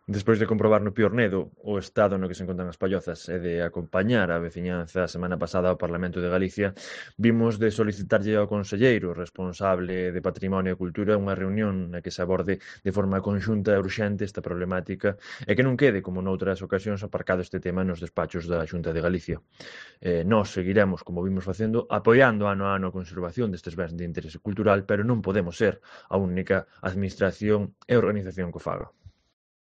Despois de comprobar no Piornedo o estado no que se encontran as pallozas e de acompañar a veciñanza a semana pasada ao Parlamento de Galicia, vimos de solicitarlle ao conselleiro responsable de Patrimonio e Cultura unha reunión na que se aborde de forma conxunta e urxente esta problemática e que non quede, como noutras ocasións, aparcado este tema nos despachos da Xunta de Galicia. Nós seguiremos, como vimos facendo, apoiando ano a ano a conservación destes bens de interese cultural, pero non podemos ser a única administración e organización que o faga.